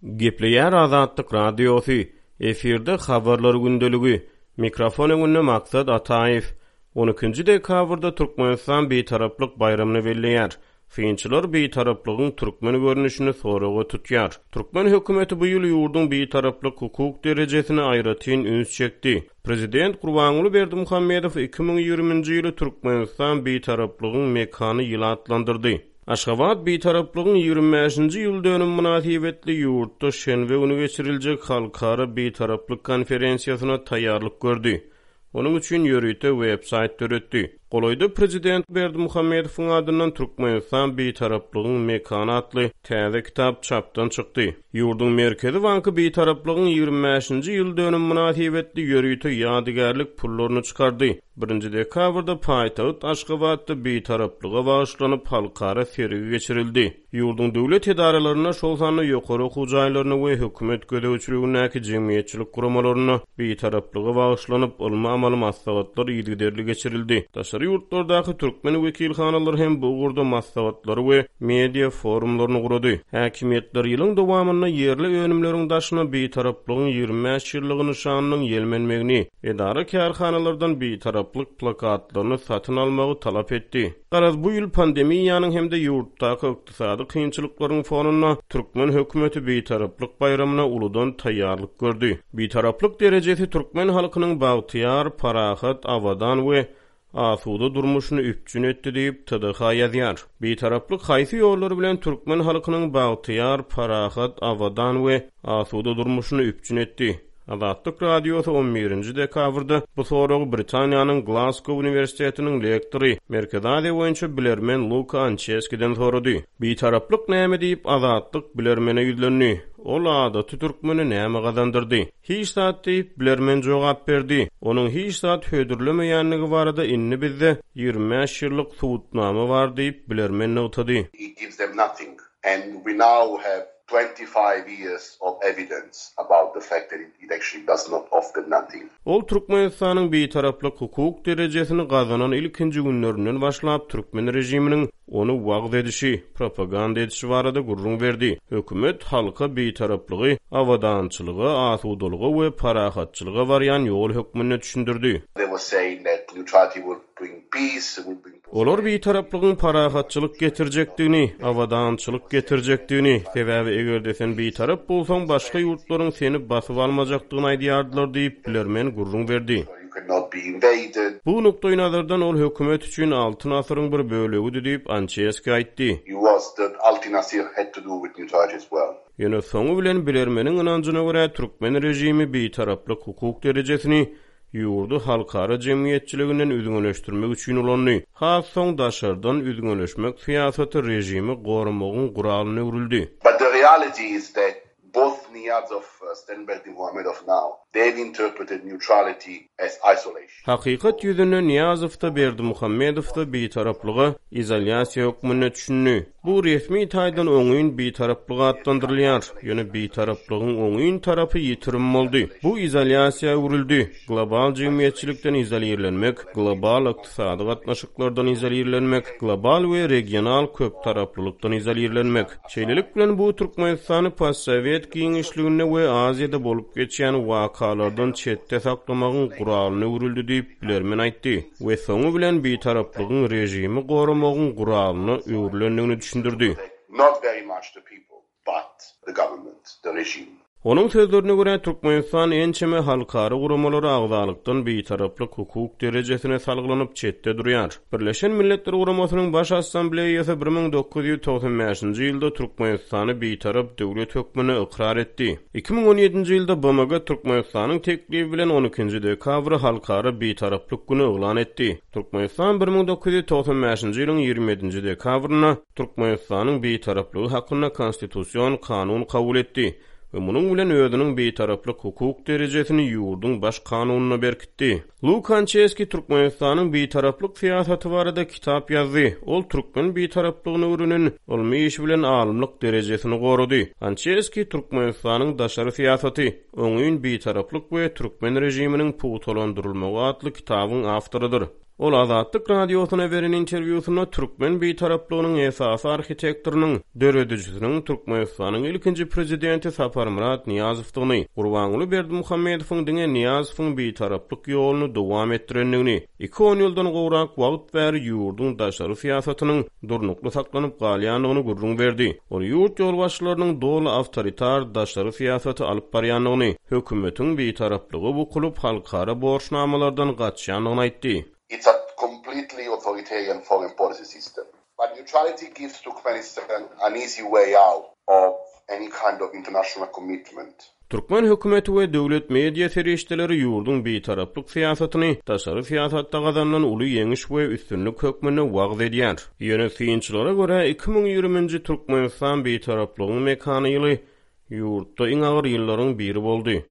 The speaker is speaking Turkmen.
Gepleýär Azatlyk Radiosy, efirde Habarlar gündeligi, mikrofon öňünde Maksat Ataýew. On ikinji dekabrda Türkmenistan Bitaraplyk baýramyny belleýär. Synçylar Bitaraplygyň türkmen görnüşini soraga tutýar. Türkmen hökümeti bu ýyl ýurduň Bitaraplyk hukuk derejesine aýratyn üns çekdi. Prezident Gurbanguly Berdimuhamedow 2020-nji ýyly Türkmenistan Bitaraplygyň mekany ýyly atlandyrdy. Aşgabat Bitaraplygyň 25-nji ýyl dönümi mynasybetli ýurtda şenbe güni geçiriljek Halkara Bitaraplyk konferensiýasyna taýýarlyk gördi. Onuň üçin ýörite web-saýt döretdi. Golaýda prezident Berdimuhamedowyň adyndan Türkmenistan Bitaraplygyň mekany atly täze kitap çapdan çykdy. Ýurduň Merkezi banky Bitaraplygyň 25-nji ýyl dönümi mynasybetli ýörite ýadygärlik pullaryny çykardy. Birinji dekabrda paýtagt Aşgabatda Bitaraplyga bagyşlanyp halkara sergi geçirildi. Ýurduň döwlet edaralarynda, şol sanda ýokary okuw jaýlarynda we hökümet gözegçiligindäki jemgyýetçilik guramalarynda Bitaraplyga bagyşlanyp ylmy-amaly maslahatlar yzygiderli geçirildi. Daşary ýurtlardaky türkmen wekilhanalary hem bu ugurda maslahatlary we media forumlaryny gurady. Häkimiýetler ýylyň dowamynda ýerli önümleriň daşyna Bitaraplygyň 25 ýyllygy nyşanynyň ýelmenmegini, edara-kärhanalardan Bitaraplyk plakatlaryny satyn almagy talap etdi. Garaz, bu ýyl pandemiýanyň hem-de ýurtdaky ykdysady kynçylyklaryň fonunda türkmen hökümeti Bitaraplyk baýramyna uludan taýýarlyk gördi. Bitaraplyk derejesi türkmen halkynyň bagtyýar, parahat, abadan we asuda durmuşyny üpjün etdi diýip, TDH ýazýar. Bitaraplyk haýsy ýollar bilen türkmen halkynyň bagtyýar, parahat, abadan we asuda durmuşyny üpjün etdi? Azatlyk Radiosy on birinji dekabrda bu soragy Britaniýanyň Glasgow uniwersitetiniň lektory, Merkezi Aziýa boýunça bilermen Luka Ançeskiden sorady. Bitaraplyk näme diýip, Azatlyk bilermene ýüzlendi. Ol adaty türkmene näme gazandyrdy? Hiç zat diýip, bilermen jogap berdi. Onuň hiç zat hödürlemeýändigi barada indi bizde 25 ýyllyk subutnama bar diýip, bilermen nygtady. It gives them nothing and we now have 25 years of evidence about the fact that it actually does not offer nothing. Ol Türkmenistanyň Bitaraplyk hukuk derejesini gazanan ilkinji günlerinden başlap türkmen režiminiň ony wagyz edişi, propaganda edişi barada gürrüň berdi. Hökümet halka Bitaraplygy abadançylyga, asudalyga we parahatçylyga barýan ýol hökmünde düşündirdi. They were saying that neutrality will bring peace, will bring Olar bitaraplygyň parahatçylyk getirjekdigini, abadançylyk getirjekdigini, sebäbi eger-de sen bitarap bolsaň, başga ýurtlaryň seni basyp almajakdygyny aýdýardylar diýip, bilermen gürrüň berdi. Bu nukdaýnazardan ol hökümet üçin Altyn asyryň bir bölegidi diýip, Ançeski aýtdy. Ýöne soňy bilen bilermeniň ynanjyna görä, türkmen režimi bitaraplyk hukuk derejesini ýurdy halkara jemgyýetçiliginden üzňeleşdirmek üçin ulandy. Has soň daşardan üzňeleşmek syýasaty režimi goramagyň guralyna öwrüldi. But the reality is that both Niyazov and Berdimuhamedov now, they have interpreted neutrality as isolation. Hakykat ýüzünde Nyýazow-da, Berdimuhamedow-da bitaraplyga izolýasiýa hökmünde düşündi. Bu resmi taýdan oňyn bitaraplyk atlandyrylýar, ýöne bitaraplygyň oňyn tarapy ýitirim boldy. Bu izolýasiýa öwrüldi, global jemgyýetçilikden izolirlenmek, global ykdysady gatnaşyklardan izolirlenmek, global we regional köptaraplylykdan izolirlenmek. Şeýlelik bilen, bu Türkmenistany postsowet giňişliginde we Aziýada bolup geçýän wakalardan çetde saklamagyň guralyna öwrüldi diýip, bilermen aýtdy. we soňy bilen bitaraplygyň režimi goramagyň guralyna öwrülendigini düşündirdi. Onuň sözlerine görä, Türkmenistan ençeme halkara guramalara agzalykdan bitaraplyk hukuk derejesine salgylanyp çetde durýar. Birleşen Milletler Guramasynyň Baş Assambleýasy 1995-nji ýylda Türkmenistany bitarap döwlet hökmünde ykrar etdi. 2017-nji ýylda BMG Türkmenistanyň teklibi bilen on ikinji dekabry Halkara Bitaraplyk güni yglan etdi. Türkmenistan 1995-nji ýylyň 27-nji dekabrynda Türkmenistanyň Bitaraplygy hakynda Konstitusion kanun kabul etdi we munuň bilen özüniň Bitaraplyk hukuk derejesini ýurduň Baş kanunyna berkitdi. Lu Konçeskiý Türkmenistanyň bitaraplyk syýasaty barada kitap ýazdy. Ol türkmen bitaraplygyny öwrenen ylmy işi bilen alymlyk derejesini gorady. Konçeskiý Türkmenistanyň daşary syýasaty, oňyn bitaraplyk we türkmen režiminiň pugtalandyrylmagy atly kitabyň awtorydyr. Ol Azatlyk Radiosyna beren interwýusynda türkmen bitaraplygynyň esasy arhitektorynyň, döredijisiniň Türkmenistanyň ilkinji prezidenti Saparmyrat Nyýazowdygyny, Gurbanguly Berdimuhamedowyň diňe Nyýazowyň bitaraplyk ýoluny dowam etdirendigini, Iki onýyldan gowrak wagt bäri ýurduň daşary syýasatynyň durnukly saklanyp galýandygyny gürrüň berdi. Ol ýurt ýolbaşçylarynyň doly awtoritar daşary syýasaty alyp barýandygyny, hökümetiň bitaraplyga bukulyp, halkara borçnamalardan gaçýandygyny aýtdy. It's a completely authoritarian foreign policy system. But neutrality gives Turkmenistan an easy way out of any kind of international commitment. Türkmen hökümeti we döwlet media serişdeleri ýurduň bitaraplyk syýasatyny daşary syýasatda gazanylan uly ýeňiş we üstünlik hökmünde wagyz edýär. Ýöne synçylara görä, 2020-nji Türkmenistan bitaraplygyň mekany ýyly ýurtda iň agyr ýyllaryň biri boldy.